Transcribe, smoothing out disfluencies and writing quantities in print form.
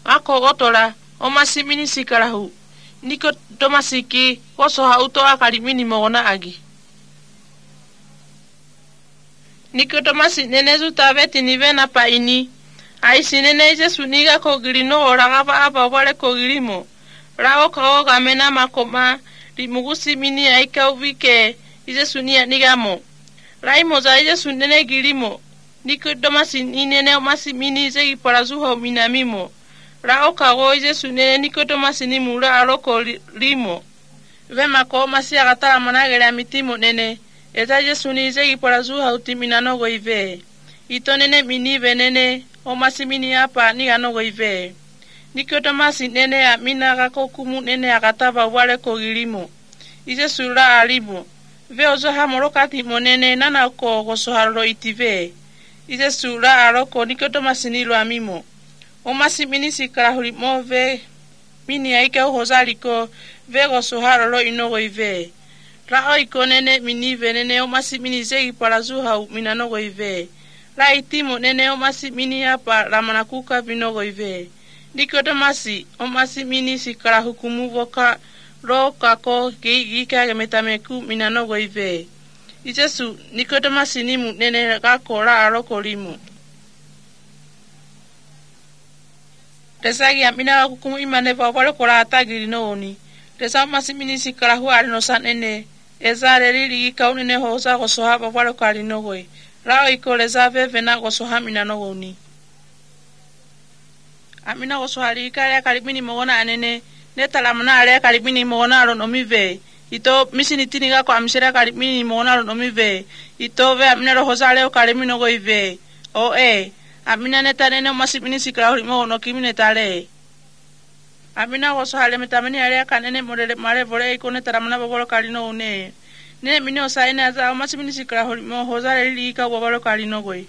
ako gotora o masimini sikarahu niko tomasiki woso hauto akalimini mogona agi niko tomasi nenezu tabeti nivena pa ini aisi nene Jesu niga kogilino oragaba aba wale kogilimo rao kao gamena makoma rimugusi mini aika uvike Jesu nigamo raimo za Jesu nene gilimo niko tomasi nene o masimini zegi parazuho minamimo rao kao Jesu nene niko tomasi nimura aroko limo vema ko masi agatara managere amitimo nene eza Jesu ni zegi parazuha utiminanogo ive ito nene minive nene o masimini hapa niganogo ive niko tomasi nene amina gakokumu nene agataba wale kogilimo Jesu ra alimo ve ozo hamorokati monene nana ko gosoharo itive Jesu ra aroko niko tomasi nilo amimo o masimini sikarahuri move mini aike hozaliko ve gosoharo inogo ive ra iko nene minive nene o masimini zegi parazuha minanogo ive la itimo nene o masimini hapa ramanakuka binogo ive niko tomasi o masimini sikarahukumu voka ro kako gika metameku minanogo ive Jesu niko tomasi nimu nene kako ra aroko limu Tesagi amina hukumu imane wale kola atagiri no oni tesa masimini sikarahu ari no sanene ezare lili kaunene hoza gosoha wale kali no goi rao ikoleza veve na gosoha minanogo oni amina gosoha likale kalibini mogona anene netala mna ale kalibini mogona ro no mive ito misini tiniga ko amshira kalibini mogona ro no mive ito ve amina ro hoza le kalibini no goi ve o amina neta nene masimini sikarahu mo no kimine tale amina gosoha le metameni ale kanene morele mare vole ikone taramana bobolo kalino one nene minio saine aza masimini sikarahu mo hoza le lika bobolo kalino goi